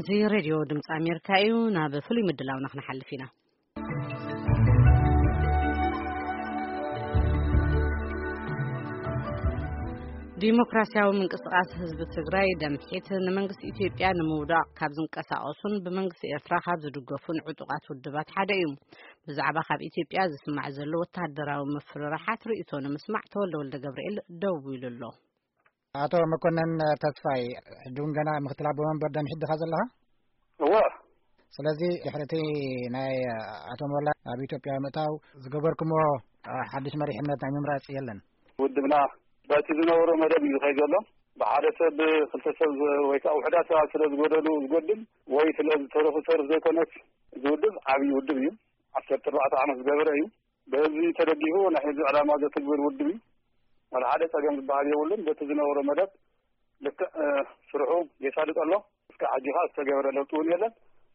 እዚ ሬድዮ ድምፂ ኣሜሪካ እዩ። ናብ ፍሉይ ምድላውና ክንሓልፍ ኢና። ዲሞክራሲያዊ ምንቅስቃስ ህዝቢ ትግራይ፣ ደምሒት፣ ንመንግስቲ ኢትዮጵያ ንምውዳቕ ካብ ዝንቀሳቐሱን ብመንግስቲ ኤርትራ ካብ ዝድገፉን ዕጡቓት ውድባት ሓደ እዩ። ብዛዕባ ካብ ኢትዮጵያ ዝስማዕ ዘሎ ወታደራዊ ምፍርራሓት ርእይቶ ንምስማዕ ተወልደ ወልደ ገብርኤል ደዊሉ ኣሎ። ኣቶ መኮነን ተስፋይ፣ ሕጂ እውን ገና ምክትል ኣቦ መንበር ደምሒት ዲኻ ዘለኻ? እወ። ስለዚ ድሕሪ እቲ ናይ ኣቶ ሞላ ኣብ ኢትዮጵያ ምእታው ዝገበርኩምዎ ሓድሽ መሪሕነት ናይ ምምራጽ የለን? ውድብና በቲ ዝነበሮ መደብ እዩ ዝኸይድ ዘሎ። ብሓደ ሰብ፣ ክልተ ሰብ ዝ-፣ ወይ ከዓ ውሑዳት ሰባት ስለ ዝጎደሉ ዝጎድል ወይ ስለ ዝተረፉ ዝተርፍ ዘይኮነስ፣ እዚ ውድብ ዓብዪ ውድብ እዩ። ዓሰርተ ኣርባዕተ ዓመት ዝገበረ እዩ። በህዝቢ ተደጊፉ ናይ ህዝቢ ዕላማ ዘትግብር ውድብ እዩ። ወላ ሓደ ጸገም ዝበሃል የብሉን። በቲ ዝነበሮ መደብ ልክዕ፣ እ፣ ስርሑ የሳልጥ ኣሎ። እስካብ ሕጂ ኸኣ ዝተገበረ ለውጢ እውን የለን።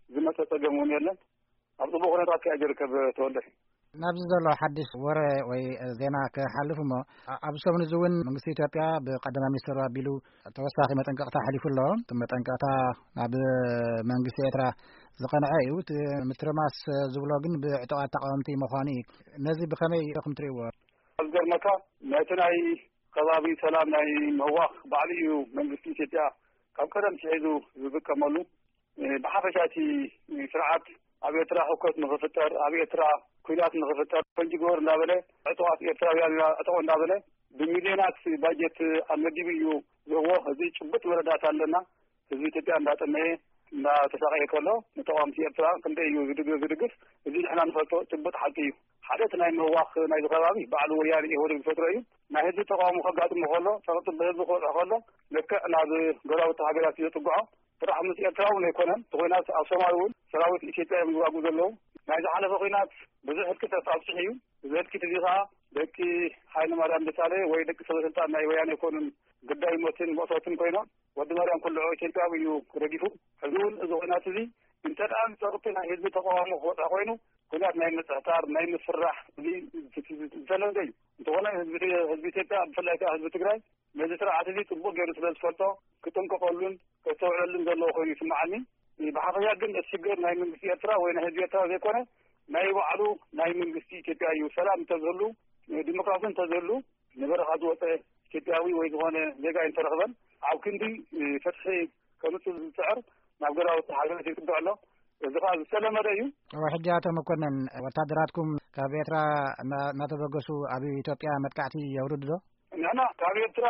ዝመጸ ጸገም እውን የለን። ኣብ ጽቡቕ ኩነታት ከኣ ዝርከብ ተወልደ። ናብዚ ዘሎ ሓድሽ ወረ ወይ ዜና ክሓልፍ እሞ፣ ኣ-፣ ኣብዚ ሰሙን እዚ እውን መንግስቲ ኢትዮጵያ ብቀዳማይ ሚኒስትሩ ኣቢሉ ተወሳኺ መጠንቀቕታ ኣሕሊፉ ኣሎ። እቲ መጠንቀቕታ ናብ መንግስቲ ኤርትራ ዝቐንዐ እዩ። እቲ ምትርማስ ዝብሎ ግን ብዕጡቓት ተቃወምቲ ምዃኑ እዩ። ነዚ ብኸመይ ኢኹም ትርእይዎ? ኣብ ዝገርመካ፣ ነቲ ናይ ከባቢ ሰላም ናይ ምህዋኽ ባዕሉ እዩ መንግስቲ ኢትዮጵያ ካብ ቀደም ትሒዙ ዝጥቀመሉ። እ፣ ብሓፈሻ እቲ ስርዓት ኣብ ኤርትራ ህውከት ንኽፍጠር፣ ኣብ ኤርትራ ኲናት ንኽፍጠር፣ ፈንጂ ግበር እንዳበለ፣ ዕጡቓት ኤርትራውያን ኢና ዕጠቑ እንዳበለ፣ ብሚልዮናት ባጀት ኣመዲቡ እዩ ዝህቦ። እዚ ጭቡጥ መረዳእታ ኣለና። ህዝቢ ኢትዮጵያ እንዳጠመየ፣ እንዳተሳቐየ ከሎ፣ ንተቃወምቲ ኤርትራ ክንደይ እዩ ዝድግ-፣ ዝድግፍ? እዚ ንሕና ንፈልጦ ጭቡጥ ሓቂ እዩ። ሓደ እቲ ናይ ምህዋኽ ናይዚ ከባቢ ባዕሉ ወያነ ኢህወዴግ ዝፈጥሮ እዩ። ናይ ህዝቢ ተቃውሞ ከጋጥሞ ከሎ፣ ጸቕጢ ብህዝቢ ክበጽሖ ከሎ፣ ልክዕ ናብ ጎረባብቲ ሃገራት እዩ ዘጥግዖ። ጥራሕ ምስ ኤርትራ እውን ኣይኮነን። እቲ ኲናት ኣብ ሶማል እውን ሰራዊት ኢትዮጵያ እዮም ዝዋግኡ ዘለዉ። ናይ ዝሓለፈ ኲናት ብዙሕ ህልቂት ኣብፅሑ እዩ። እዚ ህልቂት እዚ ከዓ ደቂ ሃይለማርያም ደሳለኝ ወይ ደቂ ሰበስልጣን ናይ ወያነ ኣይኮኑን ግዳይ ሞትን መእሰርትን ኮይኖም፣ ወዲ ማርያም ኩልዖ ኢትዮጵያዊ እዩ ረጊፉ። ሕዚ እውን እዚ ኲናት እዚ እንተ ደኣ ንጸቕጢ ናይ ህዝቢ ተቃውሞ ክበፅሖ ኮይኑ፣ ኲናት ናይ ምጽሕታር፣ ናይ ምፍራሕ፣ እዚ ዝተለምደ እዩ። እንተኾነ ህዝቢ፣ ህዝቢ ኢትዮጵያ፣ ብፍላይ ከዓ ህዝቢ ትግራይ፣ ነዚ ስርዓት እዚ ጽቡቕ ገይሩ ስለ ዝፈልጦ፣ ክጥንቀቐሉን ከስተውዕለሉን ዘለዎ ኮይኑ ይስምዓኒ። ብሓፈሻ ግን እቲ ሽግር ናይ መንግስቲ ኤርትራ ወይ ናይ ህዝቢ ኤርትራ ዘይኮነ፣ ናይ ባዕሉ ናይ መንግስቲ ኢትዮጵያ እዩ። ሰላም እንተዝህሉ፣ ዲሞክራሲ እንተዝህሉ፣ ንበረኻ ዝወጸ ኢትዮጵያዊ ወይ ዝኾነ ዜጋ ኣይምተረኽበን። ኣብ ክንዲ ፍትሒ ከምጽእ ዝጽዕር ናብ ገዛውቲ ሃገራት ይጽግዕ ኣሎ። እዚ ኸኣ ዝተለመደ እዩ። እወ፣ ሕጂ ኣቶ መኮነን፣ ወታደራትኩም ካብ ኤርትራ እና-፣ እናተበገሱ ኣብ ኢትዮጵያ መጥቃዕቲ የውርዱ ዶ? ንሕና ካብ ኤርትራ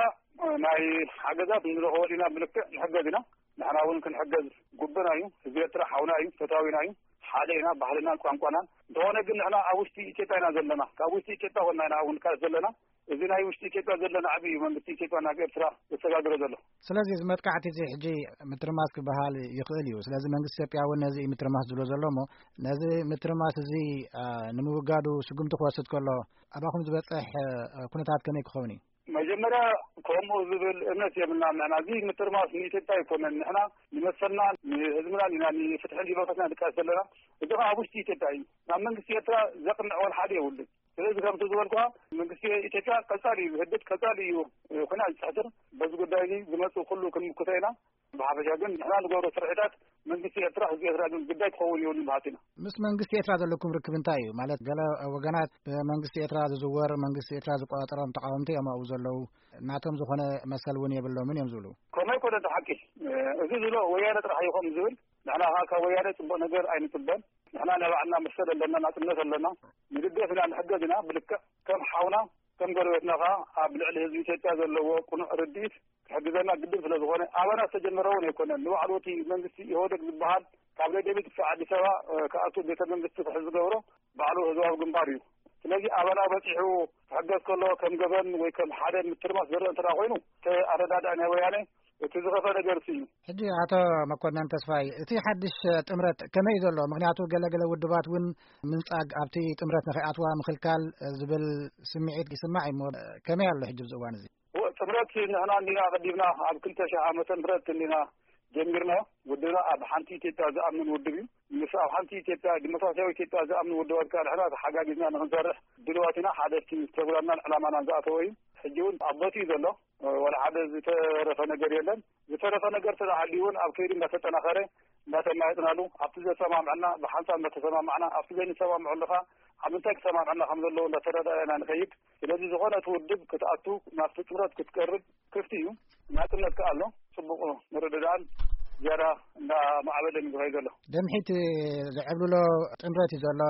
ናይ ሓገዛት ንረኽቦ ኢና፣ ብልክዕ ንሕገዝ ኢና። ንሕና እውን ክንሕገዝ ግቡእና እዩ። ህዝቢ ኤርትራ ሓውና እዩ፣ ፈታዊና እዩ። ሓደ ኢና፣ ባህልናን ቋንቋናን። እንተኾነ ግን ንሕና ኣብ ውሽጢ ኢትዮጵያ ኢና ዘለና። ካብ ውሽጢ ኢትዮጵያ ኮና ኢና እውን ንቃለስ ዘለና። እዚ ናይ ውሽጢ ኢትዮጵያ ዘሎ ናዕቢ እዩ መንግስቲ ኢትዮጵያ ናብ ኤርትራ ዘሰጋግሮ ዘሎ። ስለዚ እዚ መጥቃዕቲ እዚ ሕጂ ምትርማስ ክበሃል ይኽእል እዩ። ስለዚ መንግስቲ ኢትዮጵያ እውን ነዚ እዩ ምትርማስ ዝብሎ ዘሎ እሞ፣ ነዚ ምትርማስ እዚ፣ አ፣ ንምውጋዱ ስጉምቲ ክወስድ ከሎ፣ ኣባኹም ዝበጽሕ፣ አ፣ ኩነታት ከመይ ክኸውን እዩ? መጀመርያ ከምኡ ዝብል እምነት የብልናን። ንሕና እዚ ምትርማስ ንኢትዮጵያ ኣይኮነን። ንሕና ንመሰልና፣ ንህዝብና ኢና፣ ንፍትሕን ዲሞክራሲን ንቃለስ ዘለና። እዚ ኸዓ ኣብ ውሽጢ ኢትዮጵያ እዩ። ናብ መንግስቲ ኤርትራ ዘቕንዕ ወላ ሓደ የብሉን። ስለዚ ከምቲ ዝበልኩኻ መንግስቲ ኢትዮጵያ ቀጻሊ እዩ ዝህድድ፣ ቀጻሊ እዩ፣ እ፣ ኲናት ዝሕስር። በዚ ጉዳይ እዚ ዝመጽእ ኩሉ ክንምክቶ ኢና። ብሓፈሻ ግን ንሕና ንገብሮ ስርሒታት መንግስቲ ኤርትራ፣ ህዝቢ ኤርትራ ግን ግዳይ ክኸውን የብሉን በሃልቲ ኢና። ምስ መንግስቲ ኤርትራ ዘለኩም ርክብ እንታይ እዩ? ማለት ገለ ወገናት ብመንግስቲ ኤርትራ ዝዝወር፣ መንግስቲ ኤርትራ ዝቆጻጸሮም ተቃወምቲ እዮም ኣብኡ ዘለዉ። ናቶም ዝኾነ መሰል እውን የብሎምን እዮም ዝብሉ። ከምኡ ኣይኮነን እቲ ሓቂ። እ፣ እዚ ዝብሎ ወያነ ጥራሕ እዩ ከምኡ ዝብል። ንሕና ኸዓ ካብ ወያነ ጽቡቕ ነገር ኣይንጽበን። ንሕና ናይ ባዕልና መሰል ኣለና፣ ናጽነት ኣለና። ንድገፍ ኢና፣ ንሕገዝ ኢና። ብልክዕ ከም ሓውና፣ ከም ጎረቤትና ኸዓ ኣብ ልዕሊ ህዝቢ ኢትዮጵያ ዘለዎ ቅኑዕ ርድኢት ክሕግዘና ግድን ስለ ዝኾነ፣ ኣባና ዝተጀመረ እውን ኣይኮነን። ንባዕሉ እቲ መንግስቲ ኢህወደግ ዝበሃል ካብ ደደቢት ክሳብ ኣዲስ ኣበባ፣ እ፣ ክኣቱ ቤተ መንግስቲ ክሕዝ ዝገብሮ ባዕሉ ህዝባዊ ግንባር እዩ። ስለዚ ኣባና በጺሑ ክሕገዝ ከሎ ከም ገበን ወይ ከም ሓደ ምትርማስ ዝረአ እንተ ደኣ ኮይኑ፣ እቲ ኣረዳድኣ ናይ ወያነ እቲ ዝኸፈ ነገር እዩ። ሕጂ ኣቶ መኮነን ተስፋይ፣ እቲ ሓድሽ ጥምረት ከመይ እዩ ዘሎ? ምኽንያቱ ገለ ገለ ውድባት እውን ምንጻግ፣ ኣብቲ ጥምረት ንኸይኣትዋ ምኽልካል ዝብል ስምዒት ይስማዕ እዩ እሞ፣ ከመይ ኣሎ ሕጂ ኣብዚ እዋን እዚ? ጥምረት ንሕና እንዲና ቀዲምና ኣብ ክልተ ሺሕ ዓመተ ምህረት እንዲና ጀሚርናዮ። ውድብና ኣብ ሓንቲ ኢትዮጵያ ዝኣምን ውድብ እዩ። ምስ ኣብ ሓንቲ ኢትዮጵያ፣ ዲሞክራሲያዊ ኢትዮጵያ ዝኣምኑ ውድባት ከኣ ንሕና ተሓጋጊዝና ንኽንሰርሕ ድልዋት ኢና። ሓደ እቲ ፕሮግራምናን ዕላማናን ዝኣተወ እዩ። ሕጂ እውን ኣብ ቦትኡ ዘሎ፣ ወላ ሓደ ዝተረፈ ነገር የለን። ዝተረፈ ነገር ተተሃልዩ እውን ኣብ ከይዲ እንዳተጠናኸረ እንዳተማየጥናሉ፣ ኣብቲ ዘሰማምዐና ብሓንሳብ እንዳተሰማማዕና፣ ኣብቲ ዘይንሰማምዐሉ ከዓ ኣብ ምንታይ ክሰማምዐና ከም ዘለዎ እንዳተረዳዳእና ንኸይድ። ስለዚ ዝኾነ እቲ ውድብ ክትኣቱ፣ ናብቲ ጥምረት ክትቀርብ ክፍቲ እዩ። ናጽነት ከዓ ኣሎ። ጽቡቕ ምርድዳእን ዝያዳ እንዳማዕበለን እዩ ዝኸይድ ዘሎ። ደምሒት ዝዕብልሎ ጥምረት እዩ ዘሎ።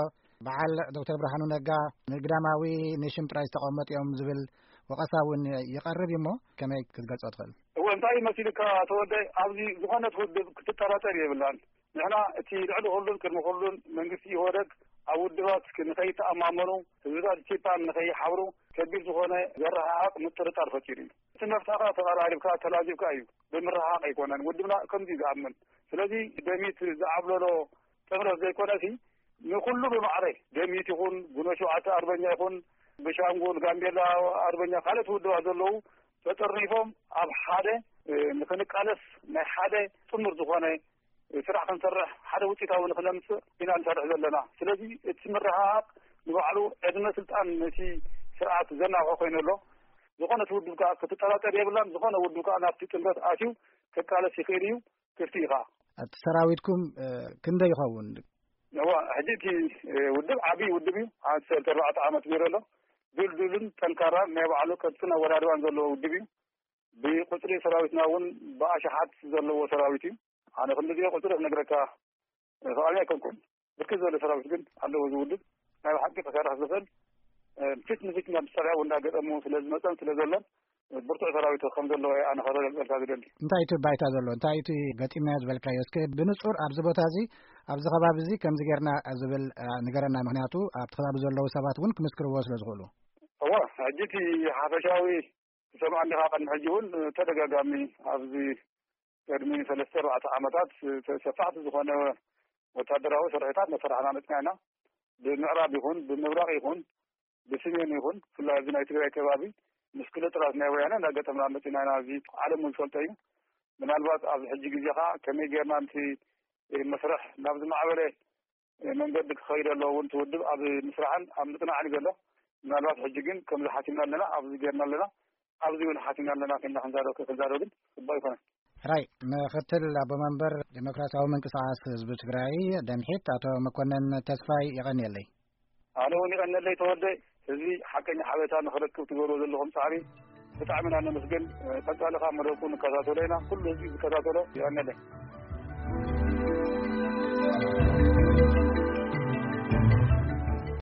በዓል ዶክተር ብርሃኑ ነጋ ንግዳማዊ ንሽም ጥራይ ዝተቐመጡ እዮም ዝብል ወቐሳ እውን ይቐርብ እዩ። እሞ ከመይ ክትገልጾ ትኽእል? እወ፣ እንታይ መሲልካ ተወልደ፣ ኣብዚ ዝኾነት ውድብ ክትጠራጠር የብላን። ንሕና እቲ ልዕሊ ኩሉን ቅድሚ ኩሉን መንግስቲ ኢህወደግ ኣብ ውድባት ንኸይተኣማመኑ፣ ህዝብታት ኢትዮጵያ ንኸይሓብሩ ከቢድ ዝኾነ ዘረሃቕ ምጥርጣር ፈጢሩ እዩ። እቲ መፍትሒ ተቐራሪብካ ተላዚብካ እዩ፣ ብምርሃቕ ኣይኮነን። ውድብና ከምዚ እዩ ዝኣምን። ስለዚ ደሚት ዝዓብለሎ ጥምረት ዘይኮነሲ ንኩሉ ብማዕረ ደሚት ይኹን፣ ጉኖ ሸውዓተ ኣርበኛ ይኹን፣ ብሻንጉል፣ ጋምቤላ ኣርበኛ፣ ካልኦት ውድባት ዘለዉ ተጠርኒፎም ኣብ ሓደ፣ እ፣ ንክንቃለስ ናይ ሓደ ጥሙር ዝኾነ ስራሕ ክንሰርሕ፣ ሓደ ውፅኢታዊ ንክነምፅእ ኢና ንሰርሕ ዘለና። ስለዚ እቲ ምርሕሓቕ ንባዕሉ ዕድመ ስልጣን ነቲ ስርዓት ዘናውሖ ኮይኑ ኣሎ። ዝኾነ እቲ ውድብ ከዓ ክትጠራጠር የብላን። ዝኾነ ውድብ ከዓ ናብቲ ጥምረት ኣትዩ ክቃለስ ይኽእል እዩ፣ ክፍቲ እዩ ከዓ። እቲ ሰራዊትኩም፣ እ፣ ክንደይ ይኸውን? እዋ፣ ሕጂ እቲ፣ እ፣ ውድብ ዓብዪ ውድብ እዩ። ዓሰርተ ኣርባዕተ ዓመት ገይሩ ኣሎ። ድልዱልን ጠንካራን ናይ ባዕሉ ቅርጽን ኣወዳድባን ዘለዎ ውድብ እዩ። ብቁጽሪ ሰራዊትና እውን ብኣሽሓት ዘለዎ ሰራዊት እዩ። ኣነ ክንድዚኦ ቁጽሪ ክነግረካ ፍቓደኛ ኣይኮንኩን። ብርክት ዝበለ ሰራዊት ግን ኣለዎ እዚ ውድብ። ናይ ብሓቂ ክሰርሕ ዝኽእል፣ እ፣ ፊት ንፊት ናብ ሰሪያ እውን እንዳገጠሙ ስለ ዝመጸን ስለ ዘሎን፣ ብርቱዕ ሰራዊት ከም ዘለዎ ኣነ ከረጋግጸልካ ዝደሊ። እንታይ እቲ ባይታ ዘሎ? እንታይ እቲ ገጢምናዮ ዝበልካዮ? እስከ ብንጹር ኣብዚ ቦታ እዚ፣ ኣብዚ ከባቢ እዚ ከምዚ ጌርና ዝብል፣ እ፣ ንገረና። ምኽንያቱ ኣብቲ ከባቢ ዘለዉ ሰባት እውን ክምስክርዎ ስለ ዝኽእሉ። እወ፣ ሕጂ እቲ ሓፈሻዊ ትሰምዓ እንዲኻ፣ ቅድሚ ሕጂ እውን ተደጋጋሚ ኣብዚ ቅድሚ ሰለስተ ኣርባዕተ ዓመታት ሰፋሕቲ ዝኾነ ወታደራዊ ስርሒታት መሰራሕና መጽና ኢና። ብምዕራብ ይኹን፣ ብምብራቕ ይኹን፣ ብስሜን ይኹን፣ ብፍላይ ኣብዚ ናይ ትግራይ ከባቢ ምስ ክልላት ናይ ወያነ እንዳገጠምና መጺና ኢና። እዚ ዓለም እውን ዝፈልጦ እዩ። ምናልባት ኣብዚ ሕጂ ግዜ ኸዓ ከመይ ጌርና ነቲ መስርሕ ናብ ዝማዕበለ መንገዲ ክኸይድ ኣለዎ እውን፣ እቲ ውድብ ኣብ ምስራሕን ኣብ ምጽናዕን እዩ ዘሎ። ምናልባት ሕጂ ግን ከምዚ ሓሲብና ኣለና፣ ኣብዚ ጌርና ኣለና፣ ኣብዚ እውን ሓሲብና ኣለና፣ ከይና ክንዛረብ፣ ክንዛረብ ግን ጽቡቕ ኣይኮነን። ሕራይ፣ ምክትል ኣቦ መንበር ዴሞክራሲያዊ ምንቅስቃስ ህዝቢ ትግራይ ደምሒት ኣቶ መኮነን ተስፋይ የቐንየለይ። ኣነ እውን ይቐንየለይ ተወልደ። ህዝቢ ሓቀኛ ሓበሬታ ንኽረክብ ትገብርዎ ዘለኹም ጻዕሪ ብጣዕሚ ኢና ነመስግን። ቀጻሊ ካብ መደብኩም ንከታተሎ ኢና። ኩሉ ህዝቢ ዝከታተሎ ይቐንየለይ።